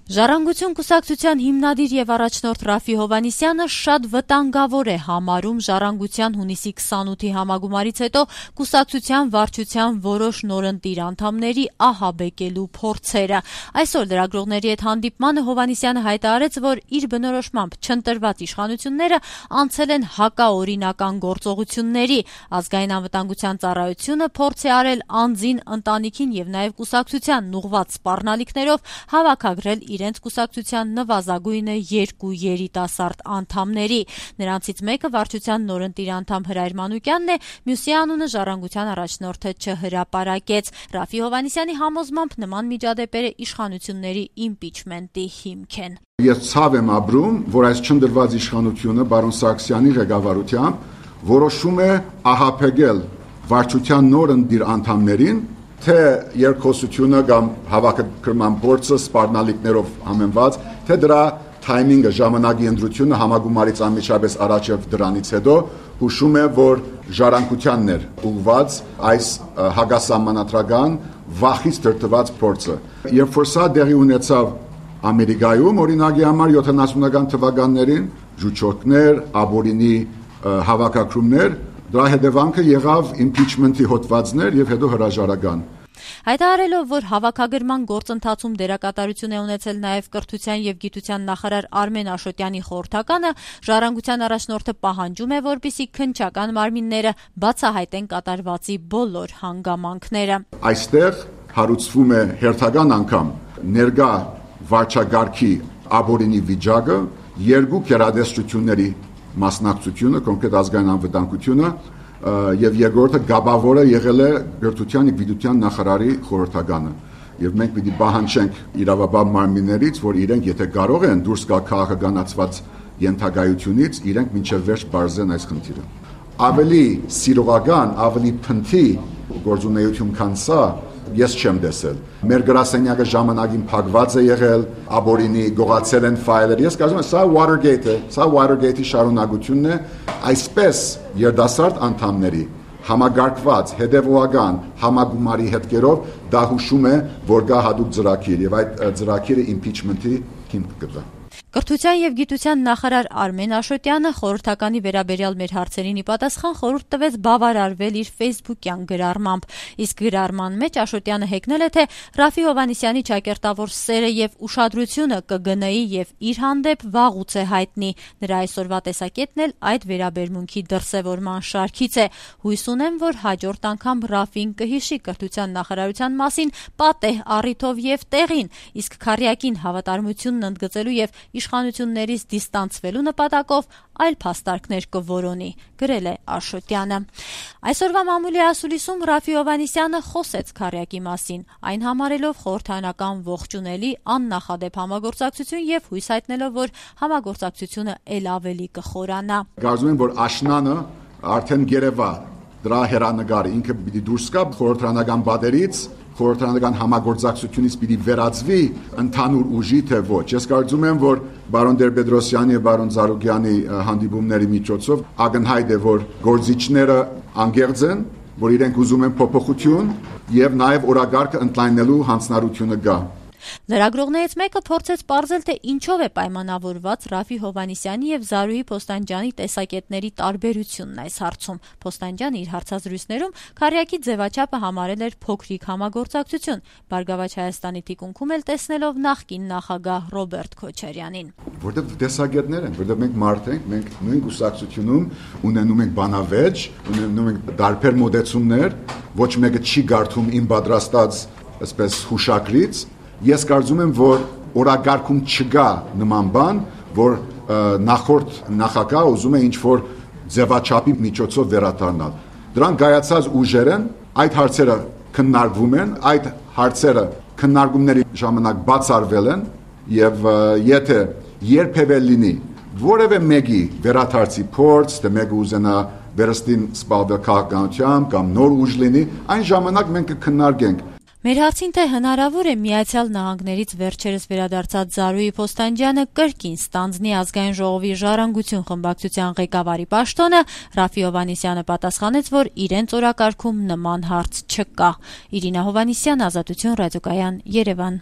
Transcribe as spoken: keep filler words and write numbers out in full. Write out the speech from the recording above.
Ժառանգություն կուսակցության հիմնադիր եւ առաջնորդ Ռաֆի Հովհաննիսյանը շատ վտանգավոր է համարում Ժառանգության հունիսի քսանութի համագումարից հետո կուսակցության վարչության որոշ նորընտիր անդամների ահաբեկելու փորձերը։ Այսօր լրագրողների հետ հանդիպմանը Հովհաննիսյանը հայտարարեց, որ իր բնորոշմամբ չընտրված իշխանությունները անցել են հակաօրինական գործողությունների։ Ազգային անվտանգության ծառայությունը փորձ է արել անձին, ընտանիքին եւ նաեւ կուսակցությանն ուղղված սպառնալիքներով հավաքագրել իրենց կուսակցության նվազագույնը երկու երիտասարդ անդամների։ Նրանցից մեկը վարչության նորընտիր անդամ Հրայր Մանուկյանն է, մյուսի անունը Ժառանգության առաջնորդը չհրապարակեց։ Ռաֆի Հովհաննիսյանի համոզմամբ նման միջադեպերը իշխանությունների իմպիչմենտի հիմք են։ Ես ցավ եմ ապրում, որ այս չնդրված իշխանությունը բարոն Սարգսյանի ղեկավարությամբ որոշում է ահաբեկել վարչության նորընտիր անդամներին, թե երկխոսությունը կամ հավաքագրման փորձը սպառնալիքներով համեմված, թե դրա թայմինգը, ժամանակի ընտրությունը համագումարից անմիջապես առաջ եւ դրանից հետո հուշում է, որ ժառանգությանն էր ուղված այս հակասահմանադրական վախից դրդված փորձը։ Երբ որ սա դեղի ունեցավ Ամերիկայում, օրինակի համար յոթանասունական թվականներին ժուճոկներ, աբորինի հավաքագրումներ, դրա հետևանքը եղավ իմպիչմենտի հոդվածներ եւ հետո հրաժարական։ Հայտարարելով, որ հավաքագրման գործընթացում դերակատարություն է ունեցել նաև կրթության եւ գիտության նախարար Արմեն Աշոտյանի խորհրդականը, Ժառանգության առաջնորդը պահանջում է, որպեսզի քննչական մարմինները բացահայտեն կատարվածի բոլոր հանգամանքները։ Այստեղ հարուցվում է հերթական անգամ ներկա վարչագարքի աբորինի վիճակը, երկու գերադասությունների մասնակցությունը, կոնկրետ ազգային անվտանգությունը եւ երկրորդը գաբավորը եղել է Գրթության եւ Գիտության նախարարի խորհրդականը եւ մենք պիտի պահանջենք իրավաբան մարմիններից, որ իրենք եթե կարող են դուրս գալ քաղաքականացված ենթակայությունից, իրենք մինչեւ վերջ բարձեն այս խնդիրը։ Ավելի սիրողական, ավելի փնթի գործունեություն քան սա ես չեմ տեսել։ Մեր գրասենյակը ժամանակին փակված է եղել, աբորինի գողացել են ֆայլեր։ Ես կարծում եմ, սա Watergate-ը, սա Watergate-ի շարունակությունն է, այսպես երդասարդ անդամների համագարկված, հետևողական համագումարի հետքերով դա հուշում է, որ գա հատուկ ծրագիր եւ այդ ծրագիրը impeachment-ի հիմք կտա։ Կրթության եւ գիտության նախարար Արմեն Աշոտյանը խորհրդականի վերաբերյալ մեր հարցերին ի պատասխան խորհուրդ տվեց բավարարվել իր Facebook-յան գրառմամբ։ Իսկ գրառման մեջ Աշոտյանը հեգնել է, թե Ռաֆի Հովհաննիսյանի ճակերտավոր սերը եւ ուշադրությունը ԿԳՆ-ի եւ իր հանդեպ վաղուց է հայտնի։ Նրա այսօրվա տեսակետն էլ այդ վերաբերմունքի դրսևորման շարքից է։ Հույս ունեմ, որ հաջորդ անգամ Ռաֆին կհիշի կրթության նախարարության մասին պատեհ առիթով եւ տեղին, իսկ քարյակին հավատարմությունն ընդգծելու եւ իշխանություններից դիստանցվելու նպատակով այլ փաստարկներ կորոնի, գրել է Աշոտյանը։ Այսօրվա մամուլի ասուլիսում Ռաֆի Հովհաննիսյանը խոսեց քարյակի մասին, այն համարելով խորհրդարանական ողջունելի աննախադեպ համագործակցություն եւ հույս հայտնելով, որ համագործակցությունը ել ավելի կխորանա։ Կարծում եմ, որ աշնանը արդեն գերեվա դրա հերանեկարը ինքը պիտի դուրս գա խորհրդարանական բادرից, խորհրդարանական համագործակցությունից պիտի վերածվի ընդհանուր ուժի թե ոչ։ Ես կարծում եմ, որ բարոն Տեր-Պետրոսյանի եւ բարոն Զարուգյանի հանդիպումների միջոցով ակնհայտ է, որ գործիչները անգերձ են, որ իրենք ուզում են փոփոխություն եւ նաեւ օրակարգը ընդլայնելու հանձնարարությունը կա։ Լրագրողներից մեկը փորձեց պարզել, թե ինչով է պայմանավորված Ռաֆի Հովհաննիսյանի եւ Զարուհի Փոստանջյանի տեսակետների տարբերությունն այս հարցում։ Փոստանջյանը իր հարցազրույցներում քարյակի ձևաչափը համարել էր փոքրիկ համագործակցություն, Բարգավաճ Հայաստանի թիկունքում էլ տեսնելով նախկին նախագահ Ռոբերտ Քոչարյանին։ Որտեղ տեսակետներ են, որտեղ մենք մարդ ենք, մենք նույն կուսակցությունում ունենում ենք բանավեճ, ունենում ենք դարբեր մոդեցումներ, ոչ մեկը չի գարթում իմ պատրաստած այսպես հուշագրից։ Ես կարծում եմ, որ օրակարգում չկա նման բան, որ նախորդ նախագահ ուզում է ինչ-որ ձևաչափի միջոցով վերադառնալ։ Դրան գայացած ուժեր են, այդ հարցերը քննարկվում են, այդ հարցերը քննարկումների ժամանակ բացառվել են եւ եթե երբևէ լինի որևէ մեկի վերադարձի փորձ, թե մեկը ուզենա վերստին սպառվել քաղաքականությամբ կամ նոր ուժ լինի, այն ժամանակ մենք կքննարկենք։ Մեր հարցին, թե հնարավոր է Միացյալ Նահանգներից վերջերս վերադարձած Զարուհի Փոստանջյանը կրկին ստանձնի Ազգային ժողովի Ժառանգություն խմբակցության ղեկավարի պաշտոնը, Ռաֆի Հովհաննիսյանը պատասխանեց, որ իրենց օրակարգում նման հարց չկա։ Իրինա Հովհաննիսյան, Ազատություն ռադիոկայան, Երևան։